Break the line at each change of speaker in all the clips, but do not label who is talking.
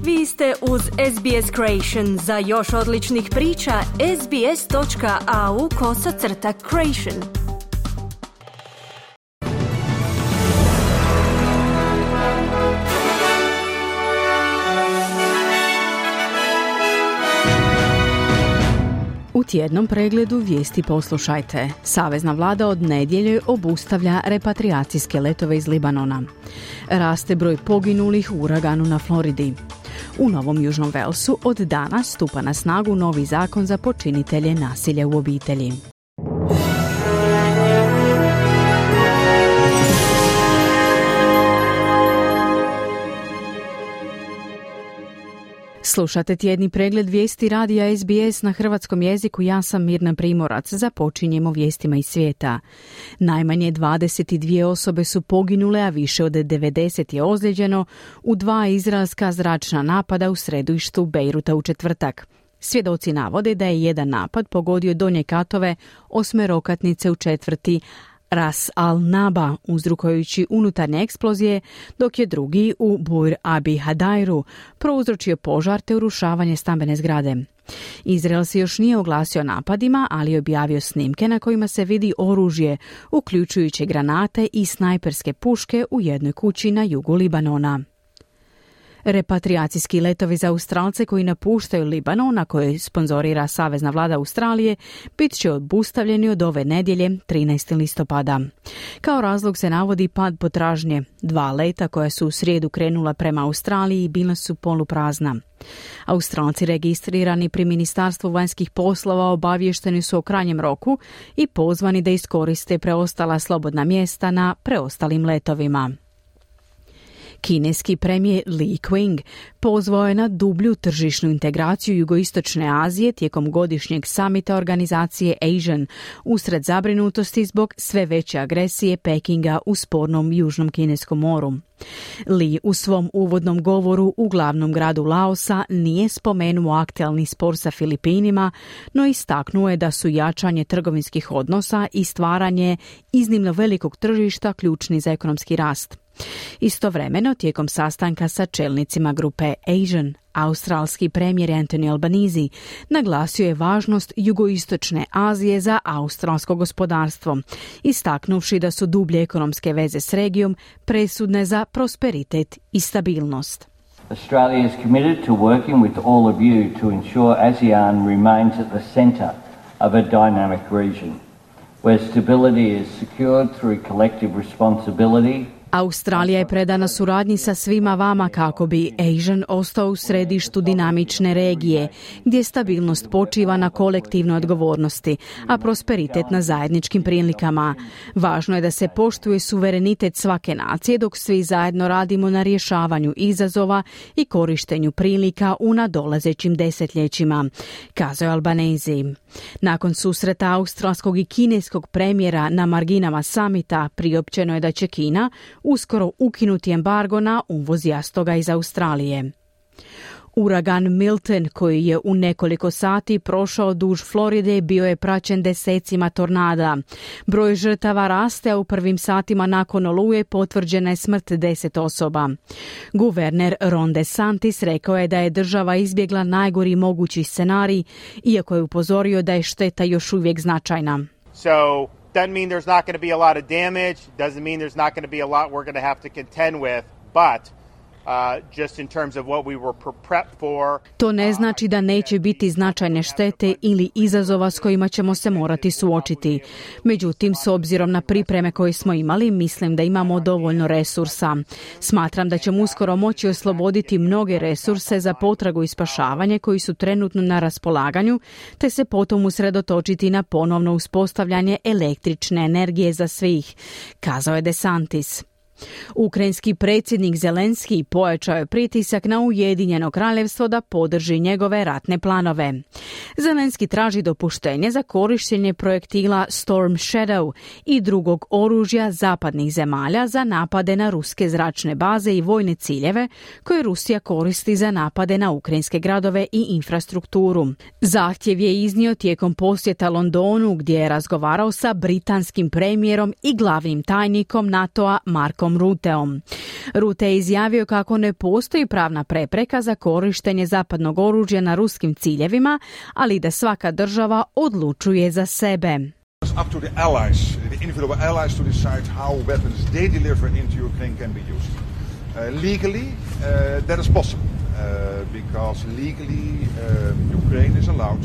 Vi ste uz SBS Creation. Za još odličnih priča, sbs.au/creation.
U tjednom pregledu vijesti poslušajte. Savezna vlada od nedjelje obustavlja repatriacijske letove iz Libanona. Raste broj poginulih u uraganu na Floridi. U Novom Južnom Velsu od danas stupa na snagu novi zakon za počinitelje nasilja u obitelji. Slušate tjedni pregled vijesti radija SBS na hrvatskom jeziku. Ja sam Mirna Primorac. Započinjemo vijestima iz svijeta. Najmanje 22 osobe su poginule, a više od 90 je ozlijeđeno u 2 izraelska zračna napada u središtu Bejruta u četvrtak. Svjedoci navode da je jedan napad pogodio donje katove 8-rokatnice u četvrti Ras al-Naba, uzrokujući unutarnje eksplozije, dok je drugi u Bur Abi Hadairu prouzročio požar te urušavanje stambene zgrade. Izrael se još nije oglasio napadima, ali je objavio snimke na kojima se vidi oružje, uključujući granate i snajperske puške u jednoj kući na jugu Libanona. Repatriacijski letovi za Australce koji napuštaju Libanon, na koje sponzorira Savezna vlada Australije, bit će obustavljeni od ove nedjelje 13. listopada. Kao razlog se navodi pad potražnje. 2 leta koja su u srijedu krenula prema Australiji bila su poluprazna. Australci registrirani pri Ministarstvu vanjskih poslova obavješteni su o krajnjem roku i pozvani da iskoriste preostala slobodna mjesta na preostalim letovima. Kineski premijer Li Qiang pozvao je na dublju tržišnu integraciju jugoistočne Azije tijekom godišnjeg samita organizacije ASEAN usred zabrinutosti zbog sve veće agresije Pekinga u spornom Južnom Kineskom moru. Li u svom uvodnom govoru u glavnom gradu Laosa nije spomenuo aktualni spor sa Filipinima, no istaknuo je da su jačanje trgovinskih odnosa i stvaranje iznimno velikog tržišta ključni za ekonomski rast. Istovremeno, tijekom sastanka sa čelnicima grupe ASEAN, australski premijer Anthony Albanese naglasio je važnost jugoistočne Azije za australsko gospodarstvo, istaknuvši da su dublje ekonomske veze s regijom presudne za prosperitet i stabilnost.
Australia is committed to working with all of you to ensure ASEAN remains at the centre of a dynamic region, where stability is secured through collective responsibility.
Australija je predana suradnji sa svima vama kako bi ASEAN ostao u središtu dinamične regije, gdje stabilnost počiva na kolektivnoj odgovornosti, a prosperitet na zajedničkim prilikama. Važno je da se poštuje suverenitet svake nacije dok svi zajedno radimo na rješavanju izazova i korištenju prilika u nadolazećim desetljećima, kazao je Albanese. Nakon susreta australskog i kineskog premijera na marginama samita priopćeno je da će Kina uskoro ukinuti embargo na uvoz jastoga iz Australije. Uragan Milton, koji je u nekoliko sati prošao duž Floride, bio je praćen desecima tornada. Broj žrtava raste, a u prvim satima nakon oluje potvrđena je smrt 10 osoba. Guverner Ron DeSantis rekao je da je država izbjegla najgori mogući scenarij, iako je upozorio da je šteta još uvijek značajna.
So doesn't mean there's not going to be a lot of damage, doesn't mean there's not going to be a lot we're going to have to contend with, but just in terms of what we were prepped for.
To ne znači da neće biti značajne štete ili izazova s kojima ćemo se morati suočiti. Međutim, s obzirom na pripreme koje smo imali, mislim da imamo dovoljno resursa. Smatram da ćemo uskoro moći osloboditi mnoge resurse za potragu i spašavanje koji su trenutno na raspolaganju, te se potom usredotočiti na ponovno uspostavljanje električne energije za svih, kazao je DeSantis. Ukrajinski predsjednik Zelenski pojačao je pritisak na Ujedinjeno kraljevstvo da podrži njegove ratne planove. Zelenski traži dopuštenje za korištenje projektila Storm Shadow i drugog oružja zapadnih zemalja za napade na ruske zračne baze i vojne ciljeve koje Rusija koristi za napade na ukrajinske gradove i infrastrukturu. Zahtjev je iznio tijekom posjeta Londonu, gdje je razgovarao sa britanskim premijerom i glavnim tajnikom NATO-a Markom Stevom Ruteom. Rute je izjavio kako ne postoji pravna prepreka za korištenje zapadnog oružja na ruskim ciljevima, ali da svaka država odlučuje za sebe.
It's up to the allies, the individual allies to decide how weapons they deliver into Ukraine can be used. Legally, that is possible, because legally Ukraine is allowed.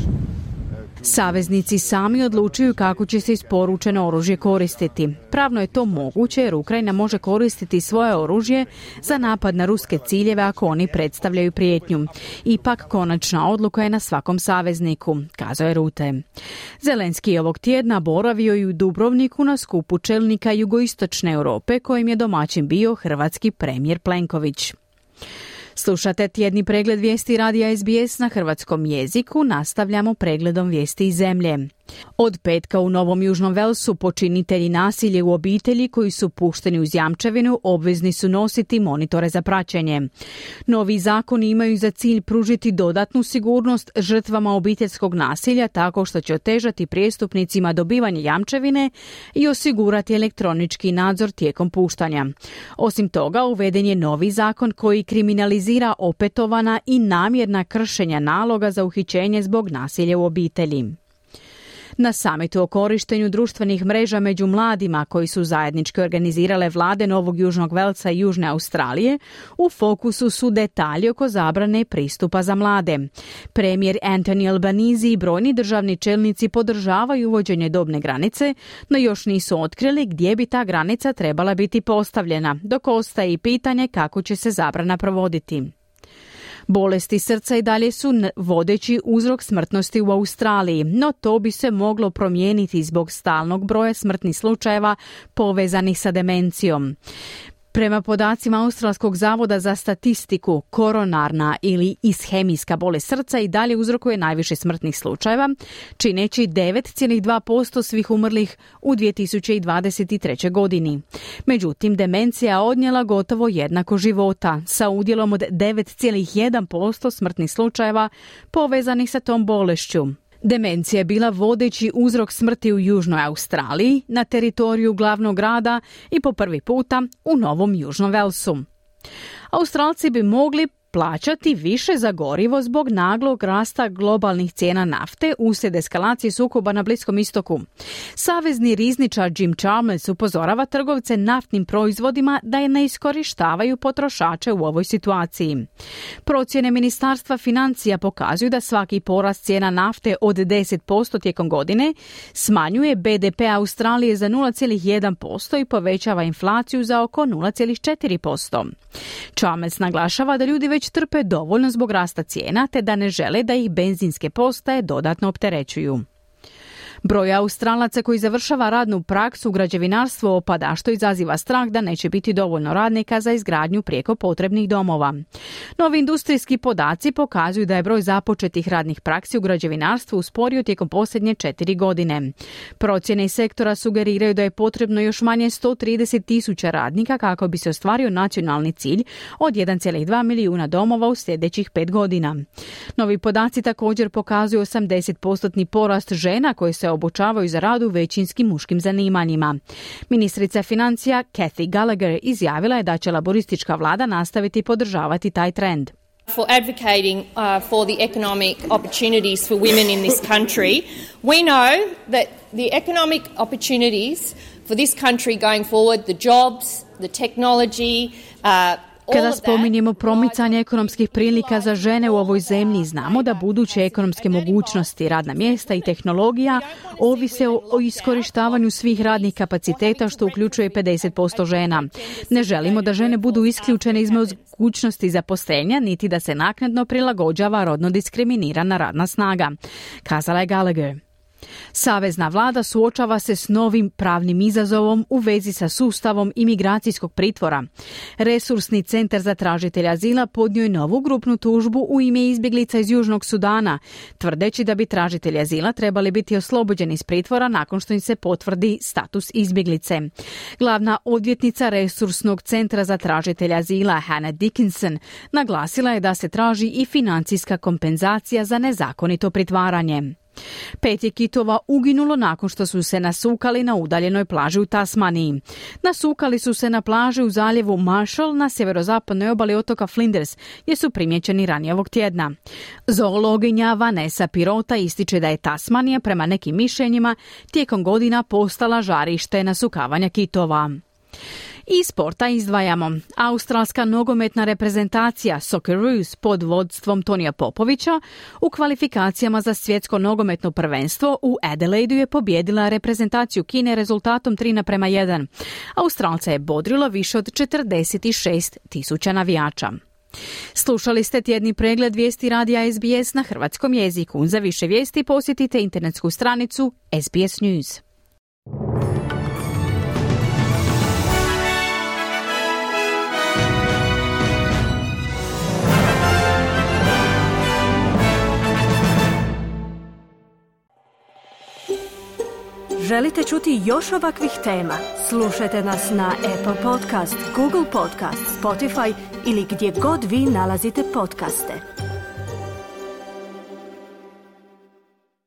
Saveznici sami odlučuju kako će se isporučeno oružje koristiti. Pravno je to moguće jer Ukrajina može koristiti svoje oružje za napad na ruske ciljeve ako oni predstavljaju prijetnju. Ipak konačna odluka je na svakom savezniku, kazao je Rute. Zelenski je ovog tjedna boravio i u Dubrovniku na skupu čelnika jugoistočne Europe kojim je domaćin bio hrvatski premijer Plenković. Slušate tjedni pregled vijesti radija SBS na hrvatskom jeziku, nastavljamo pregledom vijesti iz zemlje. Od petka u Novom Južnom Velsu počinitelji nasilja u obitelji koji su pušteni uz jamčevinu obvezni su nositi monitore za praćenje. Novi zakoni imaju za cilj pružiti dodatnu sigurnost žrtvama obiteljskog nasilja tako što će otežati prijestupnicima dobivanje jamčevine i osigurati elektronički nadzor tijekom puštanja. Osim toga, uveden je novi zakon koji kriminalizira opetovana i namjerna kršenja naloga za uhićenje zbog nasilja u obitelji. Na samitu o korištenju društvenih mreža među mladima koji su zajednički organizirale vlade Novog Južnog Velsa i Južne Australije, u fokusu su detalji oko zabrane pristupa za mlade. Premijer Anthony Albanese i brojni državni čelnici podržavaju uvođenje dobne granice, no još nisu otkrili gdje bi ta granica trebala biti postavljena, dok ostaje i pitanje kako će se zabrana provoditi. Bolesti srca i dalje su vodeći uzrok smrtnosti u Australiji, no to bi se moglo promijeniti zbog stalnog broja smrtnih slučajeva povezanih sa demencijom. Prema podacima Australskog zavoda za statistiku, koronarna ili ishemijska bolest srca i dalje uzrokuje najviše smrtnih slučajeva, čineći 9,2% svih umrlih u 2023. godini. Međutim, demencija odnijela gotovo jednako života, sa udjelom od 9,1% smrtnih slučajeva povezanih sa tom bolešću. Demencija je bila vodeći uzrok smrti u Južnoj Australiji, na teritoriju glavnog grada i po prvi puta u Novom Južnom Velsu. Australci bi mogli plaćati više za gorivo zbog naglog rasta globalnih cijena nafte uslijed eskalacije sukoba na Bliskom istoku. Savezni rizničar Jim Chalmers upozorava trgovce naftnim proizvodima da je ne iskorištavaju potrošače u ovoj situaciji. Procjene Ministarstva financija pokazuju da svaki porast cijena nafte od 10% tijekom godine smanjuje BDP Australije za 0,1% i povećava inflaciju za oko 0,4%. Chalmers naglašava da ljudi već trpe dovoljno zbog rasta cijena te da ne žele da ih benzinske postaje dodatno opterećuju. Broj Australaca koji završava radnu praksu u građevinarstvu opada, što izaziva strah da neće biti dovoljno radnika za izgradnju prijeko potrebnih domova. Novi industrijski podaci pokazuju da je broj započetih radnih praksi u građevinarstvu usporio tijekom posljednje 4 godine. Procjene iz sektora sugeriraju da je potrebno još manje 130,000 radnika kako bi se ostvario nacionalni cilj od 1,2 milijuna domova u sljedećih 5 godina. Novi podaci također pokazuju 80% porast žena koje se obučavaju za rad u većinskim muškim zanimanjima. Ministrica financija Cathy Gallagher izjavila je da će laboristička vlada nastaviti podržavati taj trend.
For advocating for the economic opportunities for women in this country, we know that the economic opportunities for this country going forward, the jobs, the technology,
Kada spominjemo promicanje ekonomskih prilika za žene u ovoj zemlji, znamo da buduće ekonomske mogućnosti, radna mjesta i tehnologija ovise o iskorištavanju svih radnih kapaciteta, što uključuje 50% žena. Ne želimo da žene budu isključene iz mogućnosti zaposlenja, niti da se naknadno prilagođava rodno diskriminirana radna snaga, kazala je Gallagher. Savezna vlada suočava se s novim pravnim izazovom u vezi sa sustavom imigracijskog pritvora. Resursni centar za tražitelja azila podnio je novu grupnu tužbu u ime izbjeglica iz Južnog Sudana, tvrdeći da bi tražitelji azila trebali biti oslobođeni iz pritvora nakon što im se potvrdi status izbjeglice. Glavna odvjetnica Resursnog centra za tražitelja azila Hannah Dickinson naglasila je da se traži i financijska kompenzacija za nezakonito pritvaranje. 5 je kitova uginulo nakon što su se nasukali na udaljenoj plaži u Tasmaniji. Nasukali su se na plaži u zaljevu Marshall na sjeverozapadnoj obali otoka Flinders, gdje su primjećeni ranije ovog tjedna. Zoologinja Vanessa Pirota ističe da je Tasmanija prema nekim mišljenjima tijekom godina postala žarište nasukavanja kitova. Iz sporta izdvajamo. Australska nogometna reprezentacija Socceroos pod vodstvom Tonija Popovića u kvalifikacijama za svjetsko nogometno prvenstvo u Adelaidu je pobijedila reprezentaciju Kine rezultatom 3:1. Australca je bodrilo više od 46.000 navijača. Slušali ste tjedni pregled vijesti radija SBS na hrvatskom jeziku. Za više vijesti posjetite internetsku stranicu SBS News.
Želite čuti još ovakvih tema? Slušajte nas na Apple Podcast, Google Podcast, Spotify ili gdje god vi nalazite podcaste.